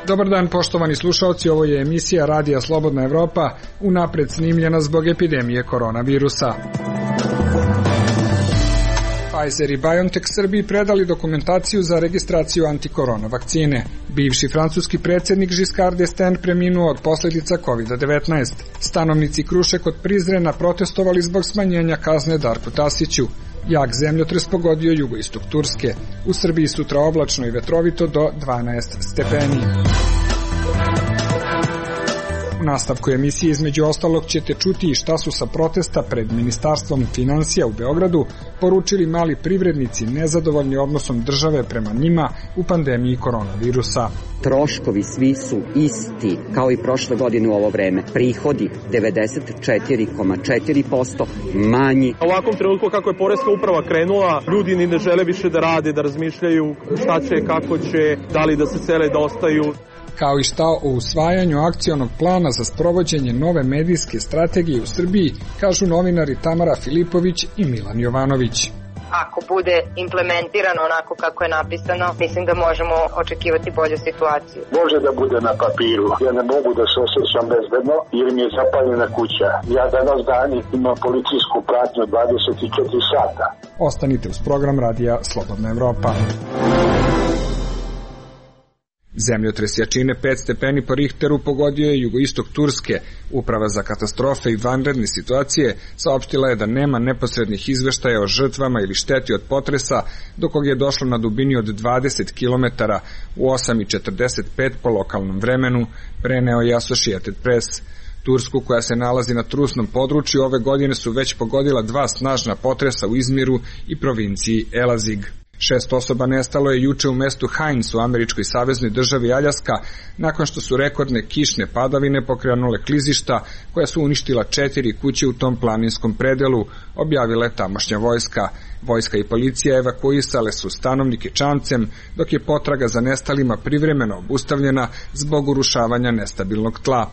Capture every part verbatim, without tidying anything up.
Dobar dan, poštovani slušalci, ovo je emisija Radija Slobodna Evropa, unapred snimljena zbog epidemije koronavirusa. Pfizer i BioNTech Srbiji predali dokumentaciju za registraciju antikorona vakcine. Bivši francuski predsjednik Giscard d'Estaing preminuo od posljedica kovid devetnaest. Stanovnici Kruše kod Prizrena protestovali zbog smanjenja kazne Darku Tasiću. Jak zemljotres pogodio jugoistok Turske. U Srbiji sutra oblačno i vetrovito do dvanaest stepeni. U nastavku emisije između ostalog ćete čuti i šta su sa protesta pred Ministarstvom finansija u Beogradu poručili mali privrednici nezadovoljni odnosom države prema njima u pandemiji koronavirusa. Troškovi svi su isti kao i prošle godine u ovo vreme. Prihodi devedeset četiri zarez četiri posto manji. U ovakvom trenutku kako je poreska uprava krenula, ljudi ni ne žele više da rade, da razmišljaju šta će, kako će, da li da se sele, da ostaju. Kao i šta o usvajanju akcionog plana za sprovođenje nove medijske strategije u Srbiji, kažu novinari Tamara Filipović i Milan Jovanović. Ako bude implementirano onako kako je napisano, mislim da možemo očekivati bolju situaciju. Može da bude na papiru. Ja ne mogu da se osjećam bezbedno jer mi je zapaljena kuća. Ja danas dan imam policijsku pratnju dvadeset četiri sata. Ostanite uz program Radija Slobodna Evropa. Zemljotres jačine pet stepeni po Richteru pogodio je jugoistok Turske. Uprava za katastrofe i vanredne situacije saopštila je da nema neposrednih izveštaja o žrtvama ili šteti od potresa, do kog je došlo na dubini od dvadeset kilometara u osam i četrdeset pet po lokalnom vremenu, preneo je Associated Press. Tursku, koja se nalazi na trusnom području, ove godine su već pogodila dva snažna potresa u Izmiru i provinciji Elazig. Šest osoba nestalo je juče u mestu Hines u američkoj saveznoj državi Aljaska, nakon što su rekordne kišne padavine pokrenule klizišta koja su uništila četiri kuće u tom planinskom predelu, objavila je tamošnja vojska. Vojska i policija evakuisale su stanovnike čamcem, dok je potraga za nestalima privremeno obustavljena zbog urušavanja nestabilnog tla.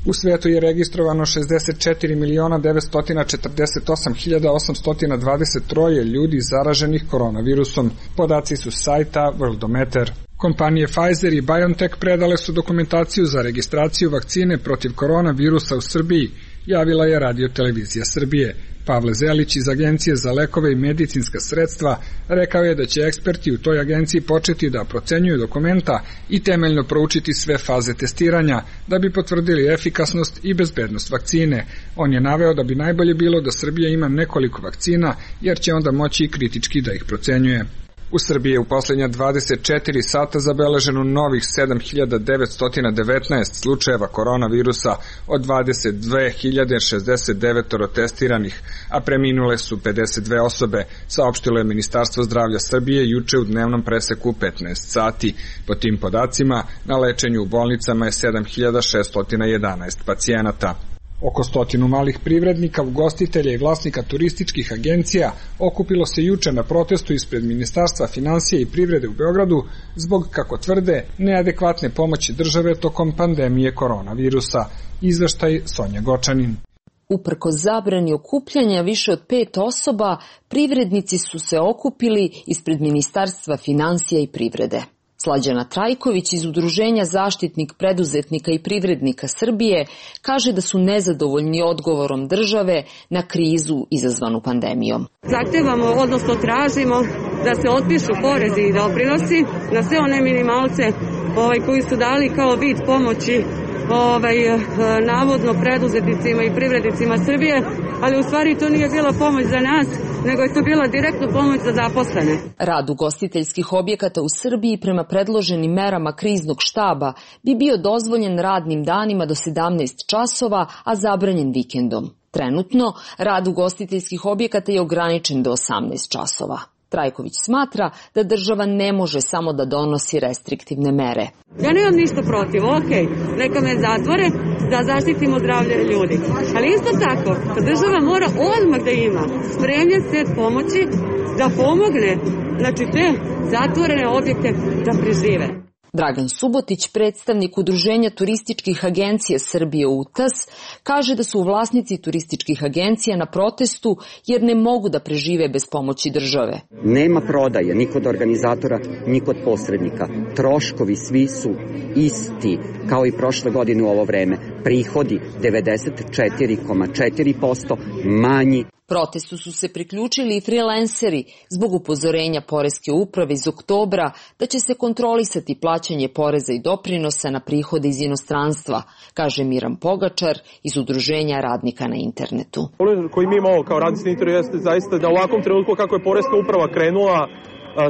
U svetu je registrovano šezdeset četiri miliona devetsto četrdeset osam hiljada osamsto dvadeset tri ljudi zaraženih koronavirusom. Podaci su sajta Worldometer. Kompanije Pfizer i BioNTech predale su dokumentaciju za registraciju vakcine protiv koronavirusa u Srbiji, javila je Radio Televizija Srbije. Pavle Zelić iz Agencije za lekove i medicinska sredstva rekao je da će eksperti u toj agenciji početi da procenjuju dokumenta i temeljno proučiti sve faze testiranja da bi potvrdili efikasnost i bezbednost vakcine. On je naveo da bi najbolje bilo da Srbija ima nekoliko vakcina, jer će onda moći i kritički da ih procenjuje. U Srbiji je u posljednja dvadeset četiri sata zabeleženo novih sedam hiljada devetsto devetnaest slučajeva koronavirusa od dvadeset dve hiljade šezdeset devet testiranih, a preminule su pedeset dve osobe, saopštilo je Ministarstvo zdravlja Srbije juče u dnevnom preseku petnaest sati. Po tim podacima, na lečenju u bolnicama je sedam hiljada šeststo jedanaest pacijenata. Oko stotinu malih privrednika, ugostitelja i vlasnika turističkih agencija okupilo se juče na protestu ispred Ministarstva finansija i privrede u Beogradu zbog, kako tvrde, neadekvatne pomoći države tokom pandemije koronavirusa. Izveštaj Sonja Gočanin. Uprkos zabrani okupljanja više od pet osoba, privrednici su se okupili ispred Ministarstva finansija i privrede. Slađana Trajković iz Udruženja Zaštitnik preduzetnika i privrednika Srbije kaže da su nezadovoljni odgovorom države na krizu izazvanu pandemijom. Zahtevamo, odnosno tražimo da se otpišu porezi i doprinosi na sve one minimalce ovaj, koji su dali kao vid pomoći ovaj, navodno preduzetnicima i privrednicima Srbije, ali u stvari to nije bila pomoć za nas, nego je to bila direktna pomoć za zaposlene. Rad ugostiteljskih objekata u Srbiji prema predloženim merama kriznog štaba bi bio dozvoljen radnim danima do sedamnaest časova, a zabranjen vikendom. Trenutno, rad ugostiteljskih objekata je ograničen do osamnaest časova. Trajković smatra da država ne može samo da donosi restriktivne mere. Ja nemam ništa protiv, ok, neka me zatvore da zaštitimo zdravlje ljudi. Ali isto tako, država mora odmah da ima spremljen set pomoći da pomogne, znači te zatvorene objekte da prežive. Dragan Subotić, predstavnik Udruženja turističkih agencija Srbije U T A S, kaže da su vlasnici turističkih agencija na protestu jer ne mogu da prežive bez pomoći države. Nema prodaje ni kod organizatora, ni kod posrednika. Troškovi svi su isti, kao i prošle godine u ovo vreme. Prihodi devedeset četiri zarez četiri posto manji. Protestu su se priključili i freelanceri zbog upozorenja Poreske uprave iz oktobra da će se kontrolisati plaćanje poreza i doprinosa na prihode iz inostranstva, kaže Miran Pogačar iz Udruženja radnika na internetu. Problem koji mi imamo kao radnici na internetu jeste zaista da u ovakvom trenutku kako je Poreska uprava krenula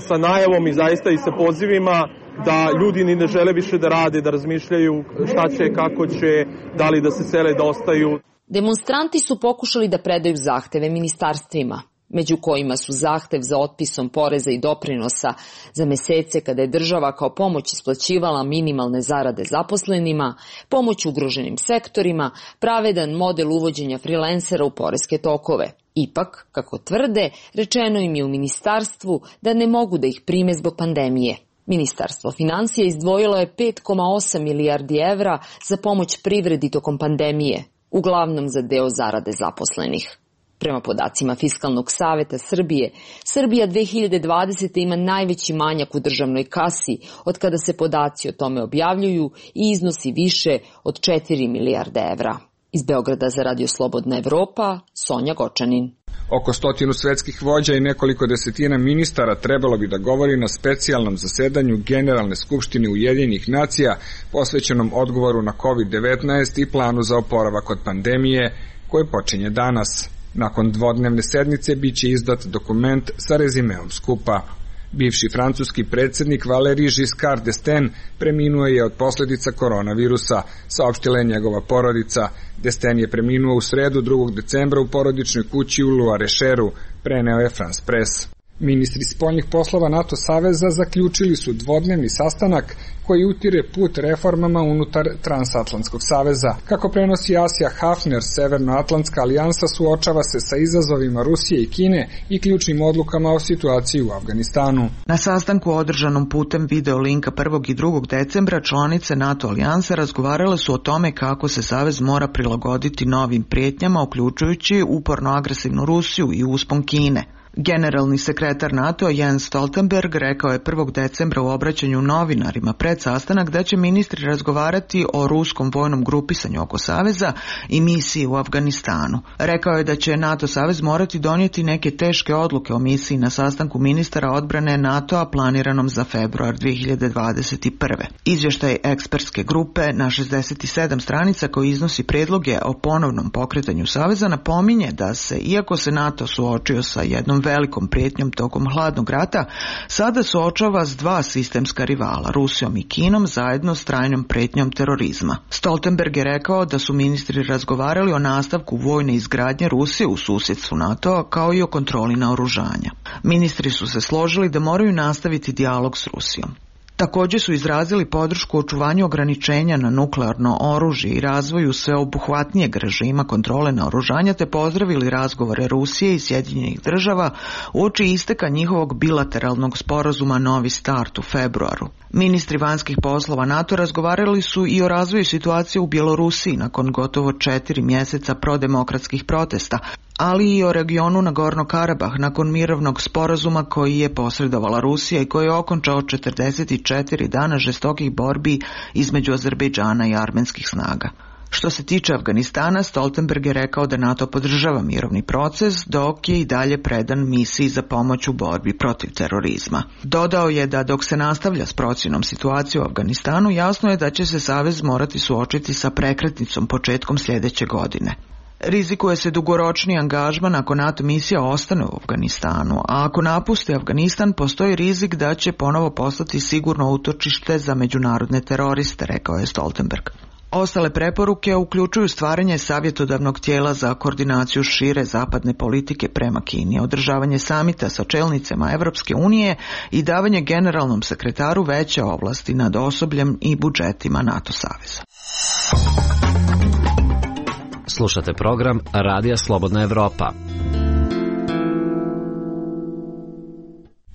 sa najavom i zaista i sa pozivima da ljudi ni ne žele više da rade, da razmišljaju šta će, kako će, da li da se sele, da ostaju. Demonstranti su pokušali da predaju zahteve ministarstvima, među kojima su zahtev za otpisom poreza i doprinosa za mesece kada je država kao pomoć isplaćivala minimalne zarade zaposlenima, pomoć ugroženim sektorima, pravedan model uvođenja freelancera u poreske tokove. Ipak, kako tvrde, rečeno im je u ministarstvu da ne mogu da ih prime zbog pandemije. Ministarstvo finansija izdvojilo je pet zarez osam milijardi evra za pomoć privredi tokom pandemije, uglavnom za deo zarade zaposlenih. Prema podacima Fiskalnog saveta Srbije, Srbija dve hiljade dvadesete. ima najveći manjak u državnoj kasi od kada se podaci o tome objavljuju i iznosi više od četiri milijarde evra. Iz Beograda za Radio Slobodna Evropa, Sonja Gočanin. Oko stotinu svetskih vođa i nekoliko desetina ministara trebalo bi da govori na specijalnom zasedanju Generalne skupštine Ujedinjenih nacija posvećenom odgovoru na kovid devetnaest i planu za oporavak od pandemije koje počinje danas. Nakon dvodnevne sednice biće izdat dokument sa rezimeom skupa. Bivši francuski predsjednik Valéry Giscard d'Estaing preminuo je od posljedica koronavirusa, saopštila je njegova porodica. D'Estaing je preminuo u sredu drugog decembra u porodičnoj kući u Loir-et-Cheru, preneo je France Press. Ministri spoljnih poslova NATO saveza zaključili su dvodnevni sastanak koji utire put reformama unutar Transatlantskog saveza. Kako prenosi Asija Hafner, Severnoatlantska alijansa suočava se sa izazovima Rusije i Kine i ključnim odlukama o situaciji u Afganistanu. Na sastanku održanom putem video linka prvog i drugog decembra članice NATO alijanse razgovarale su o tome kako se savez mora prilagoditi novim prijetnjama, uključujući uporno agresivnu Rusiju i uspon Kine. Generalni sekretar NATO Jens Stoltenberg rekao je prvog decembra u obraćanju novinarima pred sastanak da će ministri razgovarati o ruskom vojnom grupisanju oko saveza i misiji u Afganistanu. Rekao je da će NATO savez morati donijeti neke teške odluke o misiji na sastanku ministara odbrane NATO-a planiranom za februar dve hiljade dvadeset prve. Izvještaj ekspertske grupe na šezdeset sedam stranica koji iznosi predloge o ponovnom pokretanju saveza napominje da se, iako se NATO suočio sa jednom velikom prijetnjom tokom hladnog rata, sada suočava s dva sistemska rivala, Rusijom i Kinom, zajedno s trajnom prijetnjom terorizma. Stoltenberg je rekao da su ministri razgovarali o nastavku vojne izgradnje Rusije u susjedstvu NATO-a kao i o kontroli naoružanja. Ministri su se složili da moraju nastaviti dijalog s Rusijom. Također su izrazili podršku očuvanju ograničenja na nuklearno oružje i razvoju sveobuhvatnijeg režima kontrole naoružanja te pozdravili razgovore Rusije i Sjedinjenih država uoči isteka njihovog bilateralnog sporazuma Novi start u februaru. Ministri vanjskih poslova NATO razgovarali su i o razvoju situacije u Bjelorusiji nakon gotovo četiri mjeseca prodemokratskih protesta, ali i o regionu Nagorno-Karabah nakon mirovnog sporazuma koji je posredovala Rusija i koji je okončao četrdeset četiri dana žestokih borbi između Azerbejdžana i armenskih snaga. Što se tiče Afganistana, Stoltenberg je rekao da NATO podržava mirovni proces, dok je i dalje predan misiji za pomoć u borbi protiv terorizma. Dodao je da dok se nastavlja s procjenom situacije u Afganistanu, jasno je da će se savez morati suočiti sa prekretnicom početkom sljedeće godine. Rizikuje se dugoročni angažman ako NATO misija ostane u Afganistanu, a ako napusti Afganistan postoji rizik da će ponovo postati sigurno utočište za međunarodne teroriste, rekao je Stoltenberg. Ostale preporuke uključuju stvaranje savjetodavnog tijela za koordinaciju šire zapadne politike prema Kini, održavanje samita sa čelnicama Evropske unije i davanje generalnom sekretaru veće ovlasti nad osobljem i budžetima NATO saveza. Slušate program Radija Slobodna Evropa.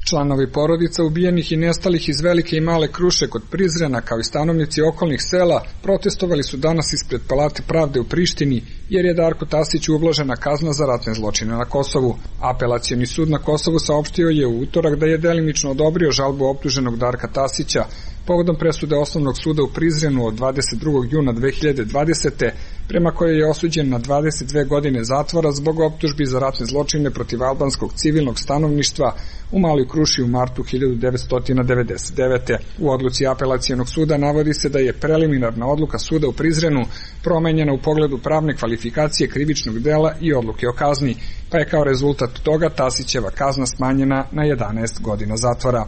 Članovi porodica ubijenih i nestalih iz Velike i Male Kruše kod Prizrena, kao i stanovnici okolnih sela, protestovali su danas ispred Palate pravde u Prištini, jer je Darku Tasiću ublažena kazna za ratne zločine na Kosovu. Apelacioni sud na Kosovu saopštio je u utorak da je delimično odobrio žalbu optuženog Darka Tasića povodom presude Osnovnog suda u Prizrenu od dvadeset drugog juna dve hiljade dvadesete. prema kojoj je osuđen na dvadeset dve godine zatvora zbog optužbi za ratne zločine protiv albanskog civilnog stanovništva u Maloj Kruši u martu hiljadu devetsto devedeset devete. U odluci apelacionog suda navodi se da je preliminarna odluka suda u Prizrenu promenjena u pogledu pravne kvalifikacije krivičnog dela i odluke o kazni, pa je kao rezultat toga Tasićeva kazna smanjena na jedanaest godina zatvora.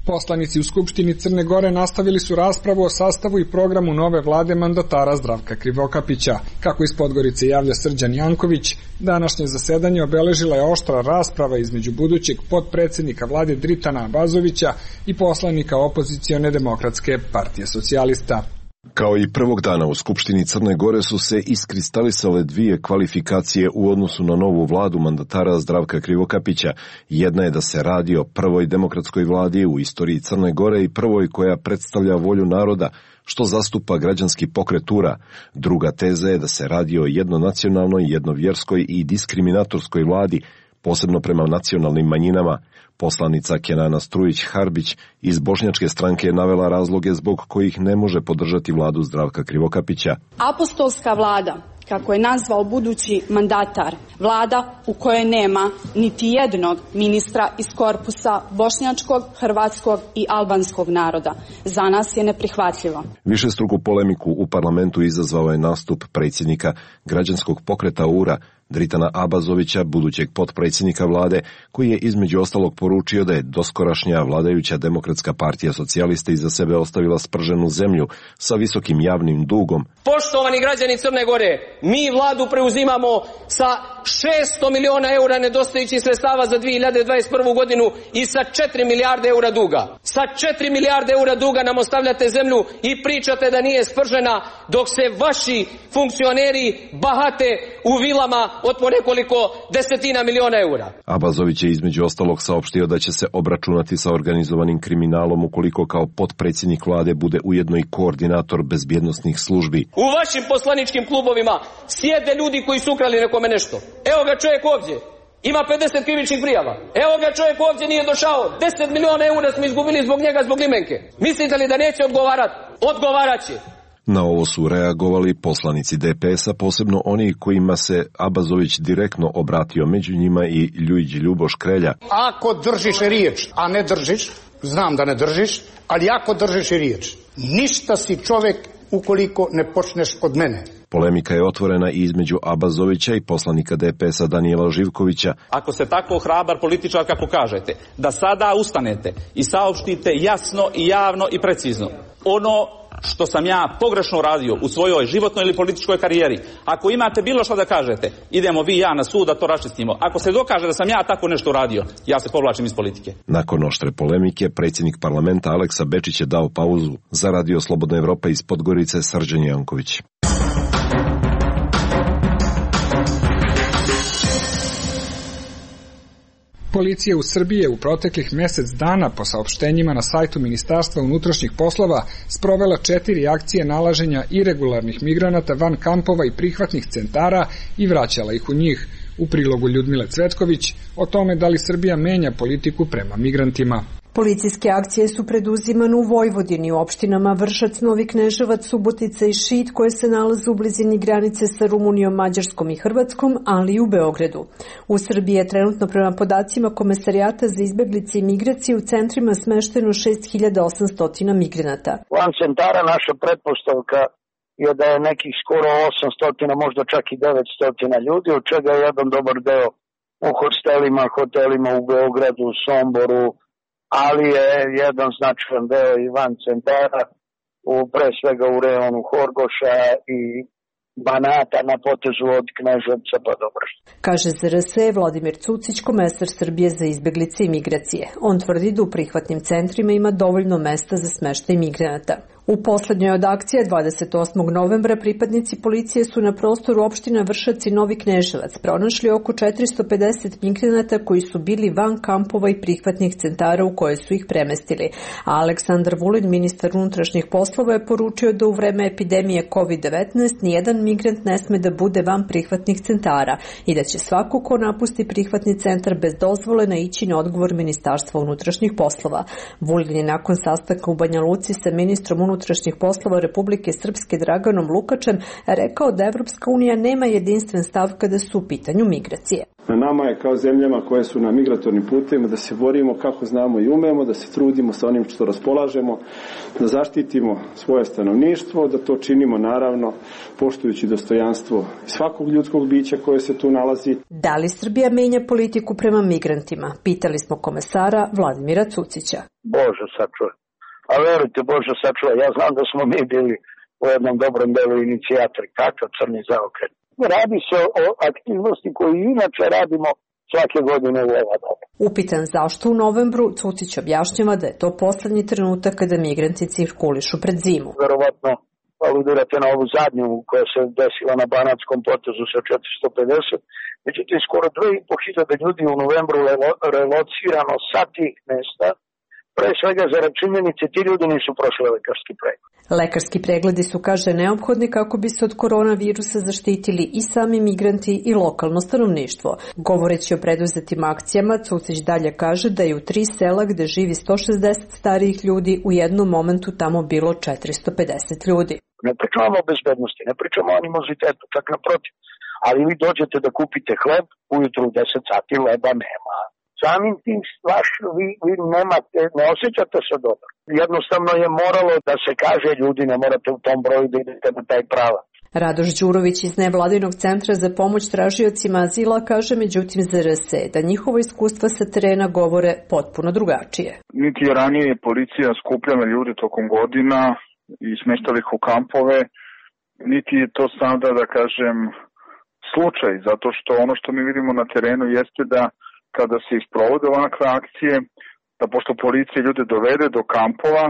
Poslanici u Skupštini Crne Gore nastavili su raspravu o sastavu i programu nove vlade mandatara Zdravka Krivokapića. Kako iz Podgorice javlja Srđan Janković, današnje zasedanje obeležila je oštra rasprava između budućeg potpredsednika vlade Dritana Abazovića i poslanika opozicione Demokratske partije socijalista. Kao i prvog dana u Skupštini Crne Gore su se iskristalisale dvije kvalifikacije u odnosu na novu vladu mandatara Zdravka Krivokapića. Jedna je da se radi o prvoj demokratskoj vladi u istoriji Crne Gore i prvoj koja predstavlja volju naroda, što zastupa građanski pokret U R A. Druga teza je da se radi o jednonacionalnoj, jednovjerskoj i diskriminatorskoj vladi, posebno prema nacionalnim manjinama. Poslanica Kenana Strujić-Harbić iz Bošnjačke stranke je navela razloge zbog kojih ne može podržati vladu Zdravka Krivokapića. Apostolska vlada, kako je nazvao budući mandatar, vlada u kojoj nema niti jednog ministra iz korpusa bošnjačkog, hrvatskog i albanskog naroda, za nas je neprihvatljivo. Višestruku polemiku u parlamentu izazvao je nastup predsjednika građanskog pokreta U R A, Dritana Abazovića, budućeg potpredsjednika vlade, koji je između ostalog poručio da je doskorašnja vladajuća Demokratska partija socijalista iza sebe ostavila sprženu zemlju sa visokim javnim dugom. Poštovani građani Crne Gore, mi vladu preuzimamo sa šesto miliona eura nedostajućih sredstava za dve hiljade dvadeset prvu godinu i sa četiri milijarde eura duga. Sa četiri milijarde eura duga nam ostavljate zemlju i pričate da nije spržena, dok se vaši funkcioneri bahate u vilama od po nekoliko desetina miliona eura. Abazović je između ostalog saopštio da će se obračunati sa organizovanim kriminalom ukoliko kao potpredsjednik vlade bude ujedno i koordinator bezbjednosnih službi. U vašim poslaničkim klubovima sjede ljudi koji su ukrali nekome nešto. Evo ga čovjek ovdje. Ima pedeset krivičnih prijava. Evo ga čovjek ovdje nije došao. deset miliona eura smo izgubili zbog njega, zbog limenke. Mislite li da neće odgovarati? Odgovarat će. Na ovo su reagovali poslanici D P S-a, posebno oni kojima se Abazović direktno obratio, među njima i Ljujić Ljuboš Krelja. Ako držiš riječ, a ne držiš, znam da ne držiš, ali ako držiš riječ, ništa si čovjek ukoliko ne počneš od mene. Polemika je otvorena i između Abazovića i poslanika D P S-a Danijela Živkovića. Ako ste tako hrabar političar kako kažete, da sada ustanete i saopštite jasno i javno i precizno ono što sam ja pogrešno radio u svojoj životnoj ili političkoj karijeri. Ako imate bilo što da kažete, idemo vi i ja na sud da to raščistimo. Ako se dokaže da sam ja tako nešto radio, ja se povlačim iz politike. Nakon oštre polemike, predsjednik parlamenta Aleksa Bečić je dao pauzu. Za Radio Slobodna Evropa iz Podgorice, Srđan Janković. Policija u Srbiji je u proteklih mjesec dana po saopštenjima na sajtu Ministarstva unutrašnjih poslova sprovela četiri akcije nalaženja iregularnih migranata van kampova i prihvatnih centara i vraćala ih u njih. U prilogu Ljudmile Cvetković o tome da li Srbija menja politiku prema migrantima. Policijske akcije su preduzimane u Vojvodini, u opštinama Vršac, Novi Kneževac, Subotica i Šid, koje se nalaze u blizini granice sa Rumunijom, Mađarskom i Hrvatskom, ali i u Beogradu. U Srbiji je trenutno prema podacima Komesarijata za izbeglice i migracije u centrima smešteno šest hiljada osamsto migranata. Van centara naša pretpostavka je da je nekih skoro osamsto, možda čak i devetsto ljudi, od čega je jedan dobar deo u hostelima, hotelima u Beogradu, Somboru, ali je jedan značajan deo i van centara, u, pre svega u reonu Horgoša i Banata na potezu od Kneževca pa do Vršca. Kaže Z R S Vladimir Cucić, komesar Srbije za izbeglice i migracije. On tvrdi da u prihvatnim centrima ima dovoljno mesta za smeštaj migranata. U poslednjoj od akcija dvadeset osmog novembra pripadnici policije su na prostoru opština Vršac i Novi Kneževac pronašli oko četiristo pedeset migranata koji su bili van kampova i prihvatnih centara u koje su ih premestili. A Aleksandar Vulin, ministar unutrašnjih poslova, je poručio da u vreme epidemije kovid devetnaest nijedan migrant ne sme da bude van prihvatnih centara i da će svako ko napusti prihvatni centar bez dozvole naići na odgovor Ministarstva unutrašnjih poslova. Vulin je nakon sastanka u Banja Luci sa ministrom unutrašnjih poslova Republike Srpske Draganom Lukačem rekao da Evropska unija nema jedinstven stav kada su u pitanju migracije. Na nama je kao zemljama koje su na migratornim putevima da se borimo kako znamo i umemo, da se trudimo sa onim što raspolažemo, da zaštitimo svoje stanovništvo, da to činimo naravno poštujući dostojanstvo svakog ljudskog bića koje se tu nalazi. Da li Srbija menja politiku prema migrantima? Pitali smo komesara Vladimira Cucića. Bože sačuvaj. A verujte, Bože sačuvaj, ja znam da smo mi bili u jednom dobrom delu inicijatori. Kakav crni zaokret. Radi se o aktivnosti koju inače radimo svake godine u ova doba. Upitan zašto u novembru, Cucić objašnjava da je to poslednji trenutak kada migranti cirkulišu pred zimu. Verovatno aludirate na ovu zadnju koja se desila na Banatskom potezu sa četiristo pedeset. Međutim, skoro dve i po hiljade ljudi u novembru relocirano sa tih mesta. Pre svega za činjenice, ti ljudi nisu prošli lekarski pregled. Lekarski pregledi su, kaže, neophodni kako bi se od koronavirusa zaštitili i sami migranti i lokalno stanovništvo. Govoreći o preduzetim akcijama, Cucić dalje kaže da je u tri sela gde živi sto šezdeset starijih ljudi u jednom momentu tamo bilo četiristo pedeset ljudi. Ne pričamo o bezbednosti, ne pričamo o animozitetu, čak naprotiv. Ali vi dođete da kupite hleb, ujutru u deset sati leba nema. Samim tim vaš, vi, vi nemate, ne osjećate se dobro. Jednostavno je moralo da se kaže ljudi ne morate u tom broju da idete na taj pravac. Radoš Đurović iz nevladinog centra za pomoć tražiocima azila kaže međutim za R S E da njihovo iskustva sa terena govore potpuno drugačije. Niti je ranije policija skupljala ljude tokom godina i smeštala ih u kampove, niti je to sada, da kažem, slučaj, zato što ono što mi vidimo na terenu jeste da kada se isprovode ovakve akcije, da pošto policija ljude dovede do kampova,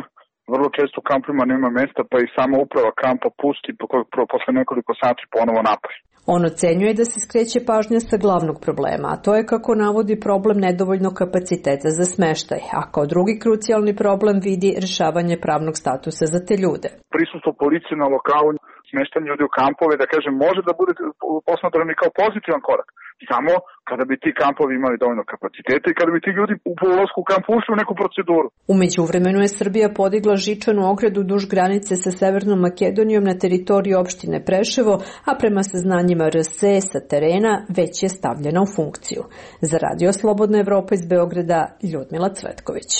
vrlo često u kampovima nema mesta, pa i sama uprava kampa pusti posle nekoliko sati ponovo napolje. On ocenjuje da se skreće pažnja sa glavnog problema, a to je kako navodi problem nedovoljnog kapaciteta za smeštaj, a kao drugi krucijalni problem vidi rešavanje pravnog statusa za te ljude. Prisustvo policije na lokalu, smeštanje ljudi u kampove, da kažem, može da bude posmatrani kao pozitivan korak. Samo kada bi ti kampovi imali dovoljno kapaciteta i kada bi ti ljudi u ulasku u kamp ušli u neku proceduru. U međuvremenu je Srbija podigla žičanu ogradu duž granice sa Severnom Makedonijom na teritoriji opštine Preševo, a prema saznanjima R S E sa terena već je stavljena u funkciju. Za Radio Slobodna Evropa iz Beograda, Ljudmila Cvetković.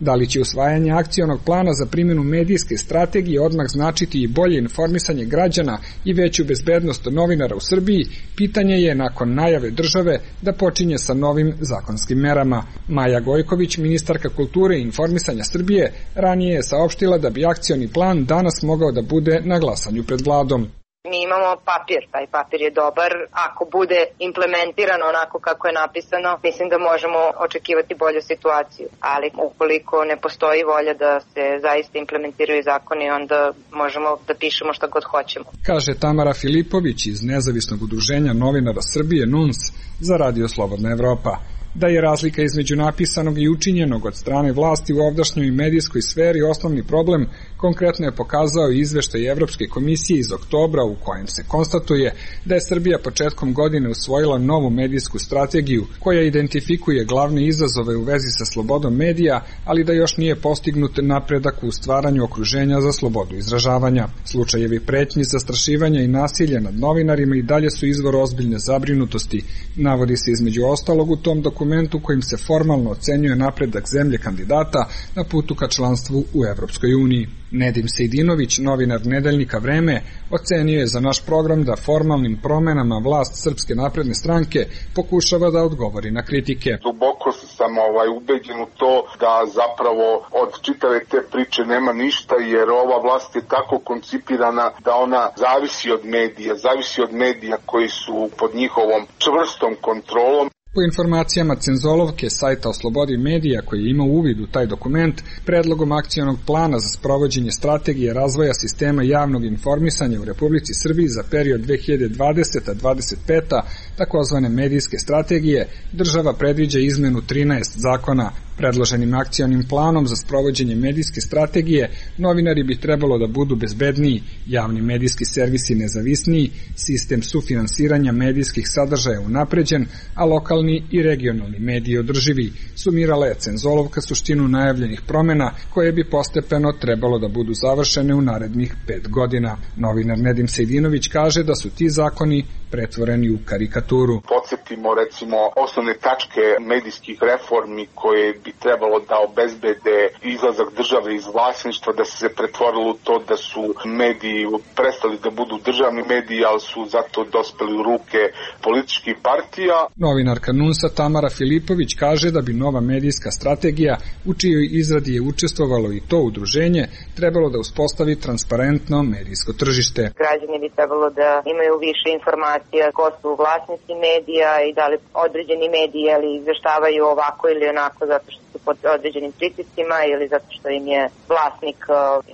Da li će usvajanje akcionog plana za primjenu medijske strategije odmah značiti i bolje informisanje građana i veću bezbednost novinara u Srbiji, pitanje je nakon najave države da počinje sa novim zakonskim merama. Maja Gojković, ministarka kulture i informisanja Srbije, ranije je saopštila da bi akcioni plan danas mogao da bude na glasanju pred vladom. Mi imamo papir, taj papir je dobar. Ako bude implementiran onako kako je napisano, mislim da možemo očekivati bolju situaciju. Ali ukoliko ne postoji volja da se zaista implementiraju zakoni, onda možemo da pišemo šta god hoćemo. Kaže Tamara Filipović iz Nezavisnog udruženja novinara Srbije N U N S za Radio Slobodna Evropa. Da je razlika između napisanog i učinjenog od strane vlasti u ovdašnjoj medijskoj sferi osnovni problem, konkretno je pokazao i izveštaj Evropske komisije iz oktobra u kojem se konstatuje da je Srbija početkom godine usvojila novu medijsku strategiju koja identifikuje glavne izazove u vezi sa slobodom medija, ali da još nije postignut napredak u stvaranju okruženja za slobodu izražavanja. Slučajevi pretnji, zastrašivanja i nasilja nad novinarima i dalje su izvor ozbiljne zabrinutosti. Navodi se između ostalog u tom dokumentu kojim se formalno ocenjuje napredak zemlje kandidata na putu ka članstvu u Evropskoj uniji. Nedim Sejdinović, novinar nedeljnika Vreme, ocenio je za naš program da formalnim promenama vlast Srpske napredne stranke pokušava da odgovori na kritike. Duboko sam ovaj, ubeđen u to da zapravo od čitave te priče nema ništa, jer ova vlast je tako koncipirana da ona zavisi od medija, zavisi od medija koji su pod njihovom čvrstom kontrolom. Po informacijama Cenzolovke, sajta o slobodi medija koji je imao uvid u taj dokument, predlogom akcionog plana za sprovođenje strategije razvoja sistema javnog informisanja u Republici Srbiji za period dve hiljade dvadeseta do dvadeset peta, takozvane medijske strategije, država predviđa izmenu trinaest zakona. Predloženim akcionim planom za sprovođenje medijske strategije novinari bi trebalo da budu bezbedniji, javni medijski servisi nezavisniji, sistem sufinansiranja medijskih sadržaja unapređen, a lokalni i regionalni mediji održivi. Sumirala je Cenzolovka suštinu najavljenih promena koje bi postepeno trebalo da budu završene u narednih pet godina. Novinar Nedim Sejdinović kaže da su ti zakoni pretvoreni u karikaturu. Podsjetimo recimo osnovne tačke medijskih reformi koje bi trebalo da obezbede izlazak države iz vlasništva, da se pretvorilo u to da su mediji prestali da budu državni mediji, ali su zato dospeli u ruke političkih partija. Novinarka Nunsa Tamara Filipović kaže da bi nova medijska strategija, u čijoj izradi je učestvovalo i to udruženje, trebalo da uspostavi transparentno medijsko tržište. Građani bi trebalo da imaju više informacija ko su vlasnici medija i da li određeni mediji ali izveštavaju ovako ili onako zato što su pod određenim pritiscima ili zato što im je vlasnik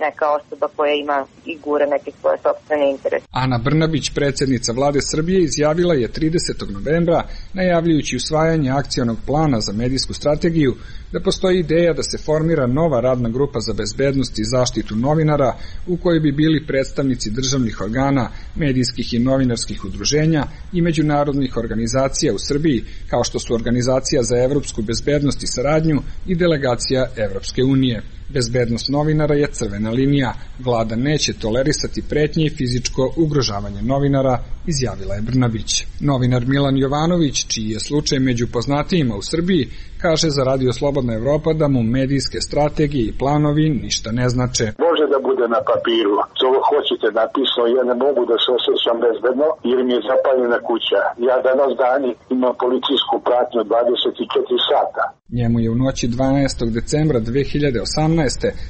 neka osoba koja ima i gure neke svoje sopstvene interese. Ana Brnabić, predsjednica Vlade Srbije, izjavila je tridesetog novembra, najavljujući usvajanje akcionog plana za medijsku strategiju, da postoji ideja da se formira nova radna grupa za bezbednost i zaštitu novinara u kojoj bi bili predstavnici državnih organa, medijskih i novinarskih udruženja i međunarodnih organizacija u Srbiji, kao što su Organizacija za evropsku bezbednost i saradnju i Delegacija Evropske unije. Bezbednost novinara je crvena linija. Vlada neće tolerisati pretnje i fizičko ugrožavanje novinara, izjavila je Brnabić. Novinar Milan Jovanović, čiji je slučaj među poznatijima u Srbiji, kaže za Radio Slobodna Evropa da mu medijske strategije i planovi ništa ne znače. Može da bude na papiru, što hoćete napisano, ja ne mogu da se osjećam bezbedno jer mi je zapaljena kuća. Ja danas dani imam policijsku pratnju dvadeset četiri sata. Njemu je u noći dvanaestog decembra dve hiljade osamnaeste.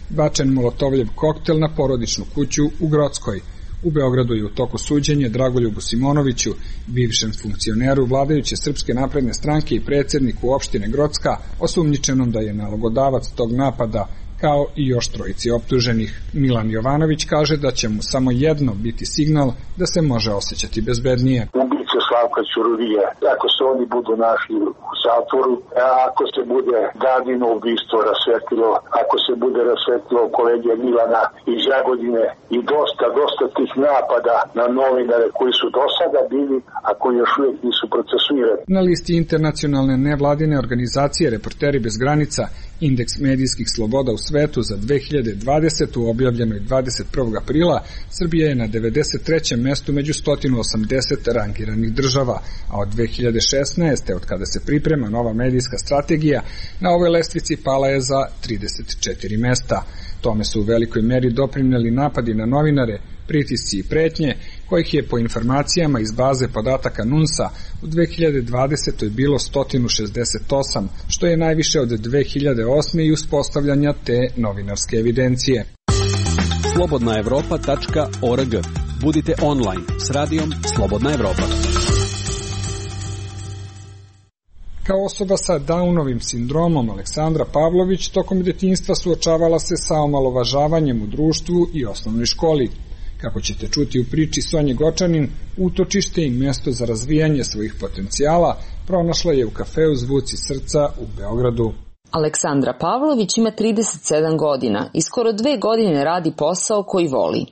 bačen molotovljev koktel na porodičnu kuću u Grockoj. U Beogradu je u toku suđenje Dragoljubu Simonoviću, bivšem funkcioneru vladajuće Srpske napredne stranke i predsjedniku opštine Grocka, osumnjičenom da je nalogodavac tog napada, kao i još trojici optuženih. Milan Jovanović kaže da će mu samo jedno biti signal da se može osjećati bezbednije. Ubice Slavka Ćuruvija, ako se oni budu našli u zatvoru, a ako se bude Dadino ubistvo rasvetlilo, ako se bude rasvetlilo kolege Milana iz Jagodine i dosta, dosta tih napada na novinare koji su do sada bili, a koji još uvijek nisu procesuirani. Na listi internacionalne nevladine organizacije Reporteri bez granica, indeks medijskih sloboda u svetu za dve hiljade dvadesetu. objavljenoj dvadeset prvog aprila, Srbija je na devedeset trećem mestu među sto osamdeset rangiranih država, a od dve hiljade šesnaeste. od kada se priprema nova medijska strategija, na ovoj lestvici pala je za trideset četiri mesta. Tome su u velikoj meri doprineli napadi na novinare, pritisci i pretnje, kojih je po informacijama iz baze podataka NUNS-a u dve hiljade dvadesetoj. bilo sto šezdeset osam, što je najviše od dve hiljade osme. i uspostavljanja te novinarske evidencije. slobodna evropa tačka org. Budite online s radijom Slobodna Evropa. Kao osoba sa Downovim sindromom, Aleksandra Pavlović tokom detinjstva suočavala se sa omalovažavanjem u društvu i osnovnoj školi. Kako ćete čuti u priči Sonje Gočanin, utočište i mesto za razvijanje svojih potencijala pronašla je u kafeu Zvuci srca u Beogradu. Aleksandra Pavlović ima trideset sedam godina i skoro dve godine radi posao koji voli.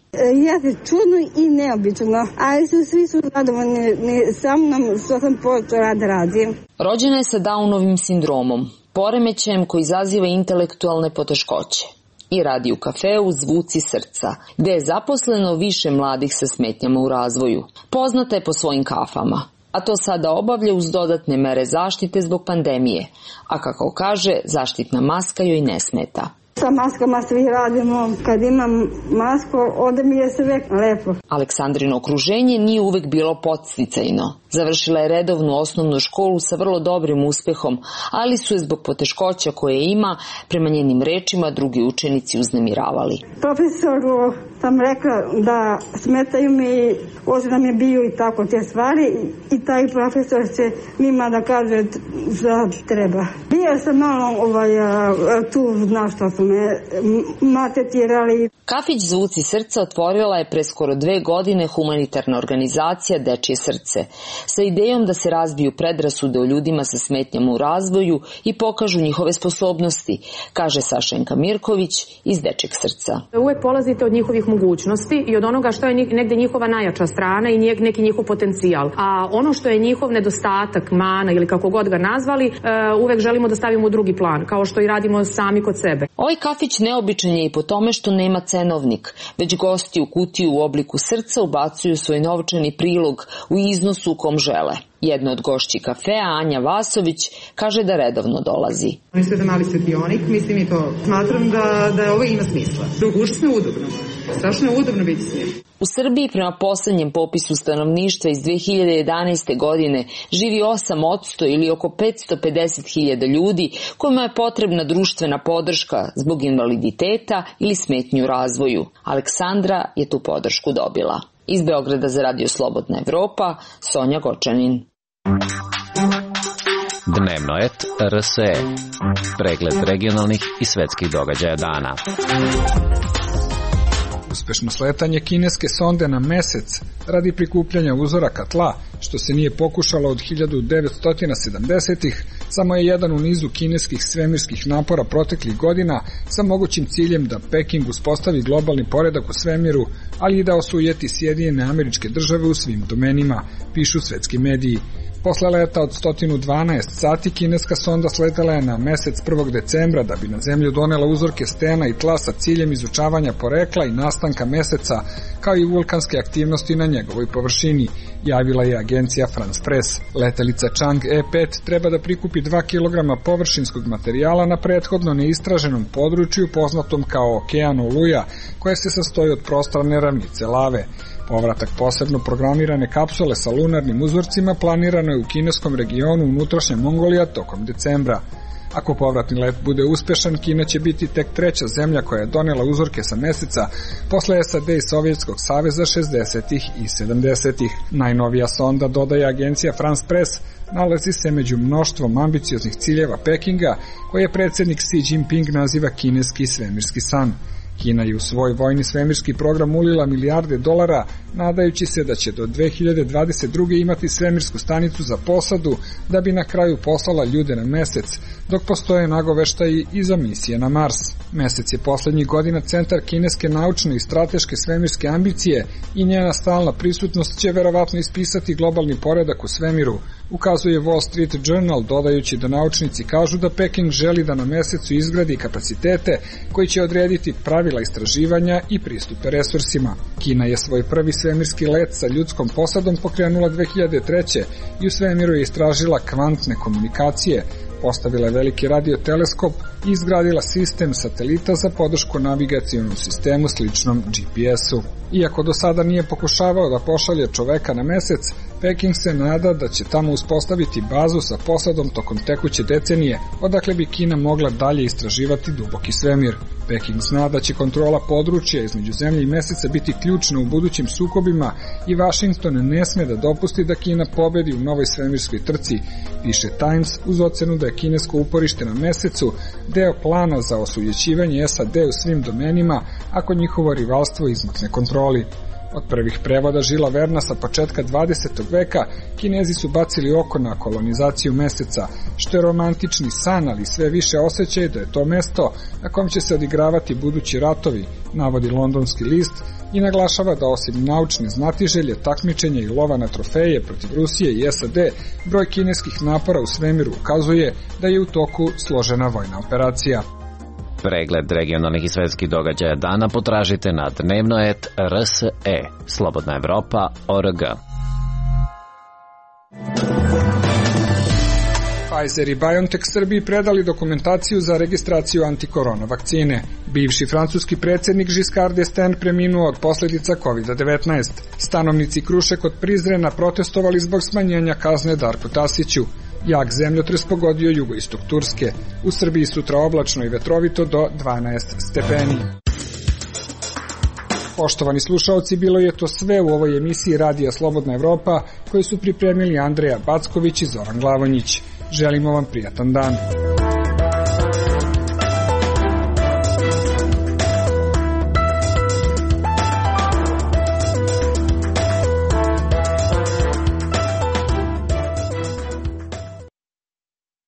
Ja se čudno i neobično, ali su svi su zadovoljni sa mnom što sam počeo rad radim. Rođena je sa Downovim sindromom, poremećajem koji izaziva intelektualne poteškoće. I radi u kafeu Zvuci srca, gde je zaposleno više mladih sa smetnjama u razvoju. Poznata je po svojim kafama, a to sada obavlja uz dodatne mere zaštite zbog pandemije, a kako kaže, zaštitna maska joj ne smeta. Sa maskama svi radimo, kad imam masku, onda mi je sve lepo. Aleksandrino okruženje nije uvek bilo podsticajno. Završila je redovnu osnovnu školu sa vrlo dobrim uspehom, ali su je zbog poteškoća koje ima, prema njenim rečima, drugi učenici uznemiravali. Profesoru sam rekla da smetaju mi, hoće da mi biju i tako te stvari i taj profesor će njima da kaže da treba. Bio sam malo ovaj, tu, znaš što su me matetirali. Kafić Zvuci srca otvorila je pre skoro dve godine humanitarna organizacija Dečije srce, sa idejom da se razbiju predrasude o ljudima sa smetnjama u razvoju i pokažu njihove sposobnosti, kaže Sašenka Mirković iz Dečijeg srca. Uvek polazite od njihovih mogućnosti i od onoga što je negde njihova najjača strana i neki njihov potencijal. A ono što je njihov nedostatak, mana ili kako god ga nazvali, uvek želimo da stavimo u drugi plan, kao što i radimo sami kod sebe. Ovaj kafić neobičan je i po tome što nema cenovnik, već gosti u kutiju u obliku srca ubacuju svoj novčani prilog u iznosu u kom žele. Jedna od gošći kafea, Anja Vasović, kaže da redovno dolazi. Oni su jedan mali svetionik, mislim i to smatram da, da ovo ima smisla. Užasno je udobno. Strašno je udobno biti s njim. U Srbiji prema poslednjem popisu stanovništva iz dve hiljade jedanaeste. godine živi osam posto ili oko petsto pedeset hiljada ljudi kojima je potrebna društvena podrška zbog invaliditeta ili smetnju u razvoju. Aleksandra je tu podršku dobila. Iz Beograda za Radio Slobodna Evropa, Sonja Gočanin. Dnevnoet R S E. Pregled regionalnih i svetskih događaja dana. Uspešno sletanje kineske sonde na mesec radi prikupljanja uzoraka tla, što se nije pokušalo od hiljadu devetsto sedamdesetih, samo je jedan u nizu kineskih svemirskih napora proteklih godina sa mogućim ciljem da Peking uspostavi globalni poredak u svemiru, ali i da osujeti Sjedinjene Američke Države u svim domenima, pišu svetski mediji. Posle leta od sto dvanaest sati kineska sonda sletela je na mesec prvog decembra da bi na zemlju donela uzorke stena i tla sa ciljem izučavanja porekla i nastanka meseca, kao i vulkanske aktivnosti na njegovoj površini, javila je agencija France Press. Letelica Chang E pet treba da prikupi dva kilograma površinskog materijala na prethodno neistraženom području poznatom kao Okean Oluja, koje se sastoji od prostrane ravnice lave. Povratak posebno programirane kapsule sa lunarnim uzorcima planirano je u kineskom regionu unutrašnja Mongolija tokom decembra. Ako povratni let bude uspešan, Kina će biti tek treća zemlja koja je donela uzorke sa meseca posle S A D i Sovjetskog saveza šezdesetih i sedamdesetih. Najnovija sonda, dodaje agencija France Press, nalazi se među mnoštvom ambicioznih ciljeva Pekinga, koje predsednik Xi Jinping naziva kineski svemirski san. Kina je u svoj vojni svemirski program ulila milijarde dolara, nadajući se da će do dve hiljade dvadeset druge. imati svemirsku stanicu za posadu, da bi na kraju poslala ljude na mesec, dok postoje nagoveštaji i za misije na Mars. Mesec je poslednjih godina centar kineske naučne i strateške svemirske ambicije i njena stalna prisutnost će verovatno ispisati globalni poredak u svemiru, ukazuje Wall Street Journal, dodajući da naučnici kažu da Peking želi da na mesecu izgradi kapacitete koji će odrediti pravila istraživanja i pristupe resursima. Kina je svoj prvi svemirski let sa ljudskom posadom pokrenula dve hiljade treće. i u svemiru je istražila kvantne komunikacije, postavila je veliki radioteleskop i izgradila sistem satelita za podršku navigacionom sistemu sličnom G P S-u. Iako do sada nije pokušavao da pošalje čoveka na mesec, Peking se nada da će tamo uspostaviti bazu sa posadom tokom tekuće decenije, odakle bi Kina mogla dalje istraživati duboki svemir. Peking zna da će kontrola područja između zemlje i meseca biti ključna u budućim sukobima i Washington ne sme da dopusti da Kina pobedi u novoj svemirskoj trci, piše Times, uz ocenu da je kinesko uporište na mesecu deo plana za osujećivanje S A D u svim domenima ako njihovo rivalstvo izmakne kontroli. Od prvih prevoda Žila Verna sa početka dvadesetog veka, Kinezi su bacili oko na kolonizaciju meseca, što je romantični san, ali sve više osjećaj da je to mesto na kom će se odigravati budući ratovi, navodi londonski list i naglašava da osim naučne znatiželje, takmičenja i lova na trofeje protiv Rusije i S A D, broj kineskih napora u svemiru ukazuje da je u toku složena vojna operacija. Pregled regionalnih i svetskih događaja dana potražite na dnevnoet R S E, Slobodna Evropa, O R G. Pfizer i BioNTech Srbiji predali dokumentaciju za registraciju antikorona vakcine. Bivši francuski predsjednik Giscard d'Estaing preminuo od posljedica kovid devetnaest. Stanovnici Kruše kod Prizrena protestovali zbog smanjenja kazne Darku Tasiću. Jak zemljotres pogodio jugoistok Turske. U Srbiji sutra oblačno i vetrovito do dvanaest stepeni. Poštovani slušaoci, bilo je to sve u ovoj emisiji Radija Slobodna Evropa, koju su pripremili Andreja Backović i Zoran Glavonjić. Želimo vam prijatan dan.